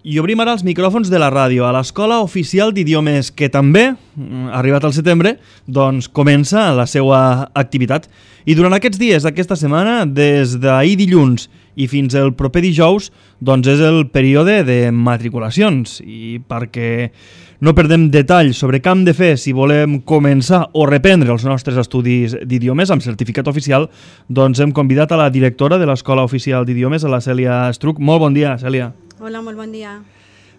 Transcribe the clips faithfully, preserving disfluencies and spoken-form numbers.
I obrim ara els micròfons de la ràdio a l'Escola Oficial d'Idiomes, que també, arribat al setembre, doncs comença la seva activitat. I durant aquests dies d'aquesta setmana, des d'ahir dilluns i fins el proper dijous, doncs és el període de matriculacions. I perquè no perdem detalls sobre què hem de fer si volem començar o reprendre els nostres estudis d'idiomes amb certificat oficial, doncs hem convidat a la directora de l'Escola Oficial d'Idiomes, a la Cèlia Estruch. Molt bon dia, Cèlia. Hola, molt bon dia.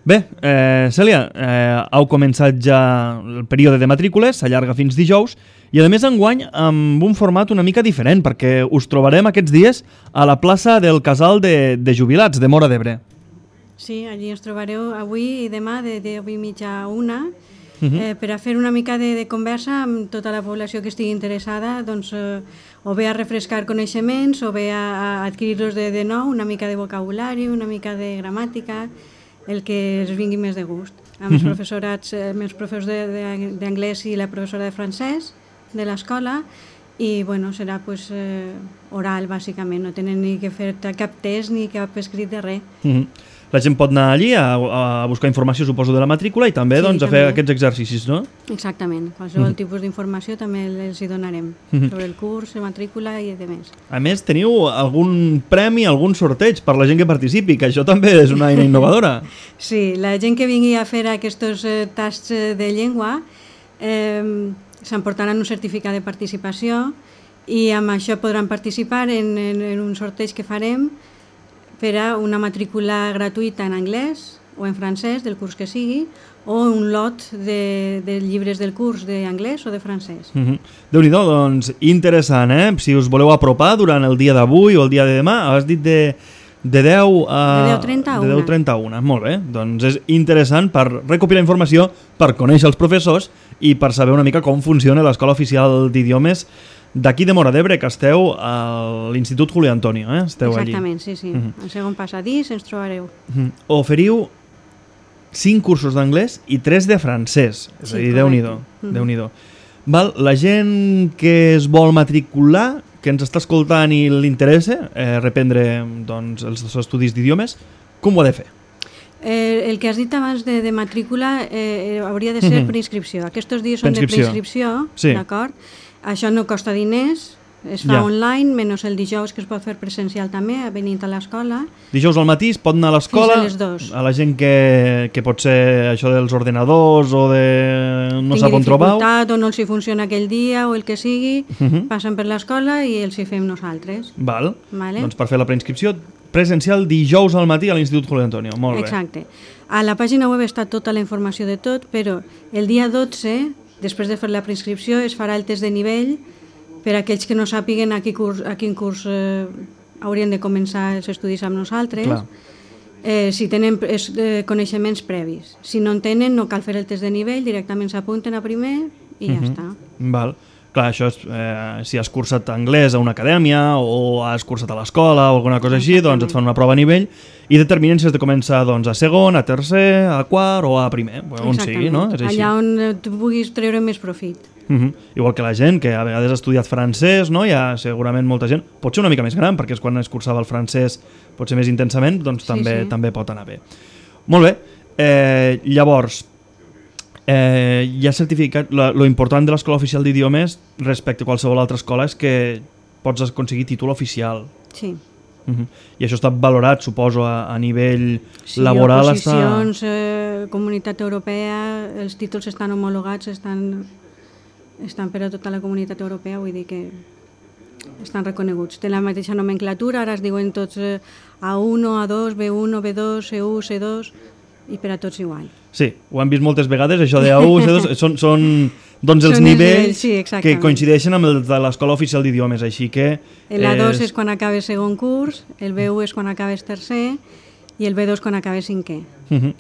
Bé, eh, Cèlia, eh, heu començat ja el període de matrícules, s'allarga fins dijous, i a més enguany amb un format una mica diferent, perquè us trobarem aquests dies a la plaça del Casal de, de Jubilats de Móra d'Ebre. Sí, allí ens trobareu avui i demà de deu i mitja a una, Uh-huh. eh, per a fer una mica de, de conversa amb tota la població que estigui interessada, doncs, eh, o bé a refrescar coneixements o bé a, a adquirir-los de, de nou, una mica de vocabulari, una mica de gramàtica, el que els vingui més de gust. Amb els Uh-huh. professorats, eh, amb els professors d'anglès i la professora de francès de l'escola, i bueno, serà pues, eh, oral, bàsicament, no tenen ni que fer cap test ni cap escrit de res. Uh-huh. La gent pot anar allí a, a buscar informació, suposo, de la matrícula i també, Sí, doncs, a també. fer aquests exercicis, no? Exactament, qualsevol Mhm. tipus d'informació també els hi donarem Mhm. sobre el curs, la matrícula i de més. A més, teniu algun premi, algun sorteig per la gent que participi, que això també és una eina innovadora. Sí, la gent que vingui a fer aquests eh, tasts eh, de llengua eh, s'emportaran un certificat de participació i amb això podran participar en, en, en un sorteig que farem per a una matrícula gratuïta en anglès o en francès, del curs que sigui, o un lot de, de llibres del curs d'anglès o de francès. Uh-huh. Déu-n'hi-do, doncs, interessant, eh? Si us voleu apropar durant el dia d'avui o el dia de demà, has dit de, de deu a... De deu trenta a de deu trenta a una. Molt bé, doncs és interessant per recopilar informació, per conèixer els professors i per saber una mica com funciona l'Escola Oficial d'Idiomes d'aquí de Móra d'Ebre, que esteu a l'Institut Julio Antonio, eh? Esteu Exactament, sí, sí. Mhm. Al segon passadís ens trobareu. allí. Uh-huh. Oferiu cinc cursos d'anglès i tres de francès. És Sí, a dir, correcte. Déu-n'hi-do. Mhm. Déu-n'hi-do. Val, la gent que es vol matricular, que ens està escoltant i li interessa eh, reprendre doncs, els seus estudis d'idiomes, com ho ha de fer? Eh, el que has dit abans de, de matrícula eh, hauria de ser Mhm. per inscripció. Aquests dies són Preinscripció. de preinscripció, Sí. d'acord? Això no costa diners, es fa Ja. online, menys el dijous que es pot fer presencial també, venint a l'escola. Dijous al matí es pot anar a l'escola, Fins a les dos. a la gent que, que pot ser això dels ordenadors o de... no sap on trobau. dificultat o no els hi funciona aquell dia o el que sigui, Mhm. passen per l'escola i els hi fem nosaltres. Val. Vale. Doncs per fer la preinscripció presencial dijous al matí a l'Institut Julio Antonio. Molt bé. Exacte. A la pàgina web està tota la informació de tot, però el dia dotze, després de fer la preinscripció, es farà el test de nivell per a aquells que no sàpiguen a quin curs, a quin curs eh, haurien de començar els estudis amb nosaltres, Clar. eh, si tenen es, eh, coneixements previs. Si no en tenen, no cal fer el test de nivell, directament s'apunten a primer i ja Mhm. està. Val. Clar, això és, eh, si has cursat anglès a una acadèmia o has cursat a l'escola o alguna cosa així, doncs et fan una prova a nivell i determinen si has de començar doncs, a segon, a tercer, a quart o a primer, on sigui, no? És així. Allà on eh, tu puguis treure més profit. Uh -huh. Igual que la gent que a vegades ha estudiat francès, no? Hi ha segurament molta gent, pot ser una mica més gran, perquè és quan es cursava el francès potser més intensament, doncs Sí, també, sí. també pot anar bé. Molt bé, eh, llavors, eh, hi ha certificat, lo, lo important de l'Escola Oficial d'Idiomes respecte a qualsevol altra escola és que pots aconseguir títol oficial. Sí. Uh -huh. I això està valorat, suposo, a, a nivell Sí, laboral. oposicions, està... eh, Comunitat Europea, els títols estan homologats, estan, estan per a tota la Comunitat Europea, vull dir que estan reconeguts. Té la mateixa nomenclatura, ara es diuen tots eh, A uno, A dos, B uno, B dos, C u, C dos, i per a tots igual. Sí, ho hem vist moltes vegades, això de A u, C dos, són, són doncs els Són els nivells nivells, sí, que exactament. coincideixen amb el de l'Escola Oficial d'Idiomes, així que... El A dos és quan acabes segon curs, el B u és quan acabes tercer i el B dos quan acabes cinquè. Uh -huh.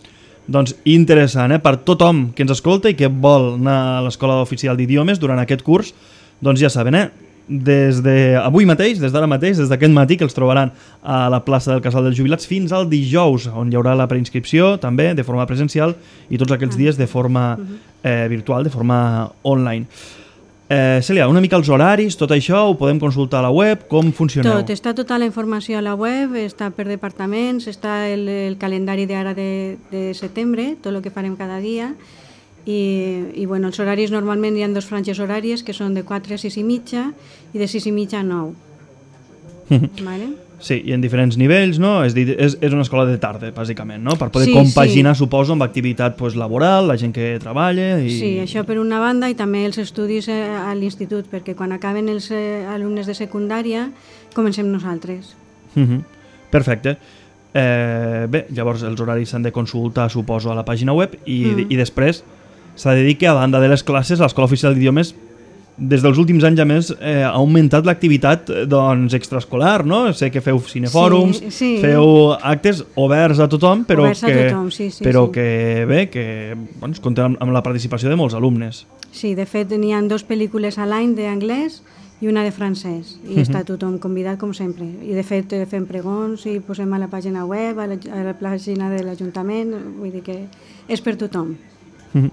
Doncs interessant, eh? Per tothom que ens escolta i que vol anar a l'Escola Oficial d'Idiomes durant aquest curs, doncs ja saben, eh? Des d'avui mateix, des d'ara mateix, des d'aquest matí, que els trobaran a la plaça del Casal dels Jubilats fins al dijous, on hi haurà la preinscripció també de forma presencial i tots aquells dies de forma eh, virtual, de forma online. Eh, Cèlia, una mica els horaris, tot això ho podem consultar a la web, com funcioneu? Tot, està tota la informació a la web, està per departaments, està el, el calendari d'ara de, de setembre, tot el que farem cada dia, i, i bueno, els horaris normalment hi ha dos franges horàries que són de quatre a sis i mitja i de sis i mitja a nou. Vale? Sí, i en diferents nivells, no? És, dir, és, és una escola de tarda, bàsicament, no? Per poder sí, compaginar, sí. suposo, amb activitat pues, laboral, la gent que treballa... I... Sí, això per una banda, i també els estudis eh, a l'institut, perquè quan acaben els eh, alumnes de secundària, comencem nosaltres. Uh -huh. Perfecte. Eh, bé, llavors els horaris s'han de consultar, suposo, a la pàgina web, i, mm. i després s'ha de dir que, a banda de les classes, l'Escola Oficial d'Idiomes des dels últims anys, a més, eh, ha augmentat l'activitat doncs, extraescolar, no? Sé que feu cinefòrums, sí, sí. feu actes oberts a tothom, però, oberts que, a tothom, sí, sí, però sí. que bé, que doncs, compten amb, amb la participació de molts alumnes. Sí, de fet, n'hi ha dues pel·lícules a l'any d'anglès i una de francès, i uh -huh. està tothom convidat com sempre. I de fet fem pregons i posem a la pàgina web, a la, a la pàgina de l'Ajuntament, vull dir que és per tothom. Uh -huh.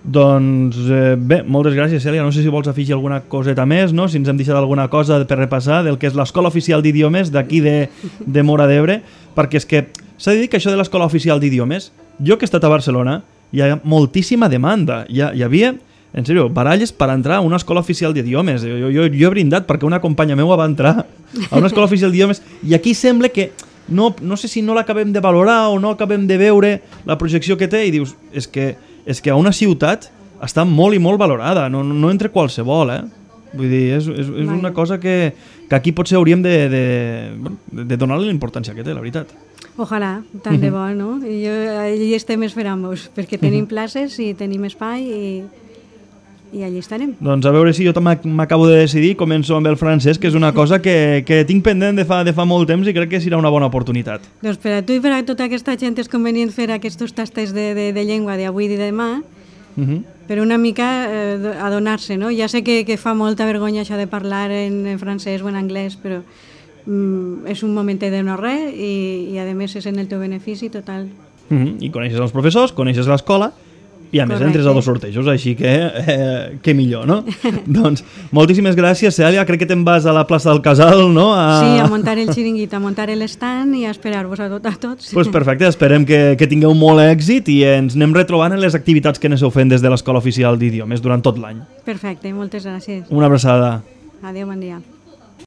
Doncs eh, bé, moltes gràcies, Cèlia. No sé si vols afegir alguna coseta més, no? Si ens hem deixat alguna cosa per repassar del que és l'Escola Oficial d'Idiomes d'aquí de, de Móra d'Ebre, perquè és que s'ha de dir que això de l'Escola Oficial d'Idiomes, jo que he estat a Barcelona, hi ha moltíssima demanda. Hi, ha, hi havia, en sèrio, baralles per entrar a una escola oficial d'idiomes. Jo, jo, jo he brindat perquè una companya meva va entrar a una escola oficial d'idiomes i aquí sembla que no, no sé si no l'acabem de valorar o no acabem de veure la projecció que té i dius, és que és que a una ciutat està molt i molt valorada, no, no entre qualsevol, eh? Vull dir, és, és, és una cosa que, que aquí potser hauríem de, de, de donar-li la importància que té, la veritat. Ojalà, tant de bo, no? I jo, allí estem esperant-vos, perquè tenim places i tenim espai i, i allí estarem. Doncs a veure si jo m'acabo de decidir, començo amb el francès, que és una cosa que, que tinc pendent de fa, de fa molt temps i crec que serà una bona oportunitat. Doncs per a tu i per a tota aquesta gent és convenient fer aquests tastes de, de, de llengua d'avui i de demà, uh -huh. per una mica eh, adonar-se, no? Ja sé que, que fa molta vergonya això de parlar en, en francès o en anglès, però mm, és un moment de no res i, i a més és en el teu benefici total. Uh -huh. I coneixes els professors, coneixes l'escola, i a més Correcte. entres a dos sortejos, així que eh, que millor, no? Doncs moltíssimes gràcies, Cèlia. Crec que te'n vas a la plaça del Casal, no? A... Sí, a muntar el xiringuito, a muntar l'estand i a esperar-vos a, tot, a tots. Pues perfecte, esperem que, que tingueu molt èxit i ens anem retrobant en les activitats que aneu fent des de l'Escola Oficial d'Idiomes durant tot l'any. Perfecte, moltes gràcies. Una abraçada. Adéu, bon dia.